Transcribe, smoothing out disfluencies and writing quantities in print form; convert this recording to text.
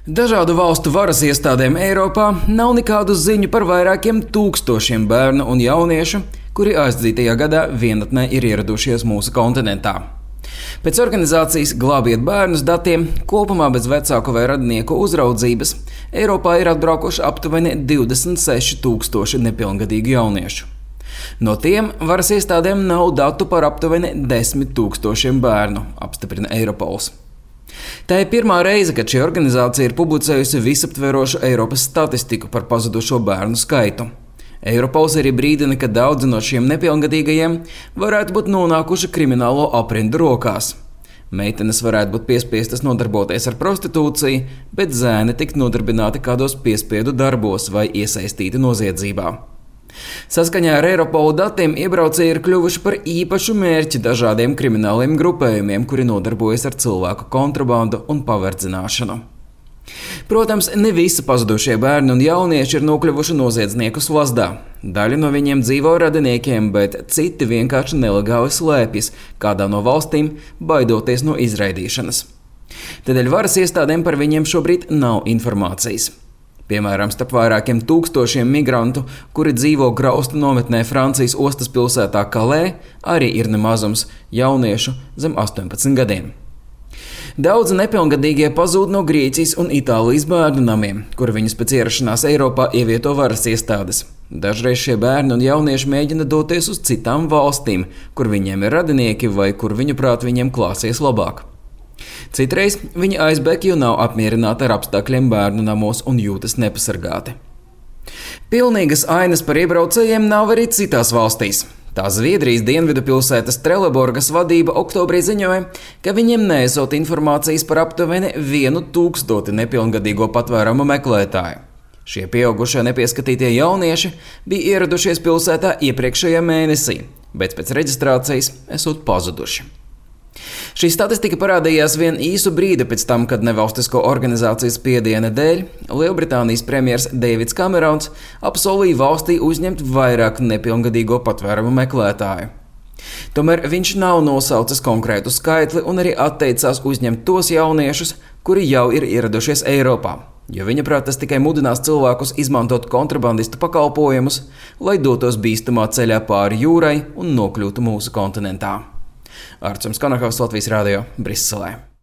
Dažādu valstu varas iestādēm Eiropā nav nekādu ziņu par vairākiem tūkstošiem bērnu un jauniešu, kuri aizdzītajā gadā vienatnē ir ieradušies mūsu kontinentā. Pēc organizācijas Glābiet bērnus datiem, kopumā bez vecāku vai radinieku uzraudzības, Eiropā ir atbraukuši aptuveni 26,000 nepilngadīgu jauniešu. No tiem varas iestādēm nav datu par aptuveni 10,000 bērnu, apstiprina Eiropols. Tā ir pirmā reize, kad šī organizācija ir publicējusi visaptverošu Eiropas statistiku par pazudušo bērnu skaitu. Eiropols arī brīdina, ka daudzi no šiem nepilngadīgajiem varētu būt nonākuši kriminālo aprindu rokās. Meitenes varētu būt piespiestas nodarboties ar prostitūciju, bet zēni tikt nodarbināti kādos piespiedu darbos vai iesaistīti noziedzībā. Saskaņā ar Eiropolu datiem iebraucēji ir kļuvuši par īpašu mērķi dažādiem krimināliem grupējumiem, kuri nodarbojas ar cilvēku kontrabandu un paverdzināšanu. Protams, ne visi pazudušie bērni un jaunieši ir nokļuvuši noziedznieku slazdā. Daļa no viņiem dzīvo radiniekiem, bet citi vienkārši nelegāli slēpjas kādā no valstīm, baidoties no izraidīšanas. Tādēļ varas iestādēm par viņiem šobrīd nav informācijas. Piemēram, starp vairākiem tūkstošiem migrantu, kuri dzīvo graustu nometnē Francijas ostas pilsētā Kalē, arī ir nemazums jauniešu zem 18 gadiem. Daudzi nepilngadīgie pazūd no Grieķijas un Itālijas bērnu namiem, kur viņus pēc ierašanās Eiropā ievieto varas iestādes. Dažreiz šie bērni un jaunieši mēģina doties uz citām valstīm, kur viņiem ir radinieki vai kur viņuprāt viņiem klāsies labāk. Citreiz viņi aizbēg, jo nav apmierināti ar apstākļiem bērnu namos un jūtas nepasargāti. Pilnīgas ainas par iebraucējiem nav arī citās valstīs. Tā Zviedrijas dienvidu pilsētas Trelleborgas vadība oktobrī ziņoja, ka viņiem neesot informācijas par aptuveni 1,000 nepilngadīgo patvērumu meklētāju. Šie pieaugušie nepieskatītie jaunieši bija ieradušies pilsētā iepriekšējā mēnesī, bet pēc reģistrācijas esot pazuduši. Šī statistika parādījās vien īsu brīdi pēc tam, kad nevalstisko organizācijas spiediena dēļ Lielbritānijas premjers Deivids Kamerons apsolīja valstī uzņemt vairāk nepilngadīgo patvērumu meklētāju. Tomēr viņš nav nosaucis konkrētu skaitli un arī atteicās uzņemt tos jauniešus, kuri jau ir ieradušies Eiropā, jo viņaprāt tas tikai mudinās cilvēkus izmantot kontrabandistu pakalpojumus, lai dotos bīstamā ceļā pāri jūrai un nokļūtu mūsu kontinentā. Artjums Konakovs, Latvijas Radio, Briselē.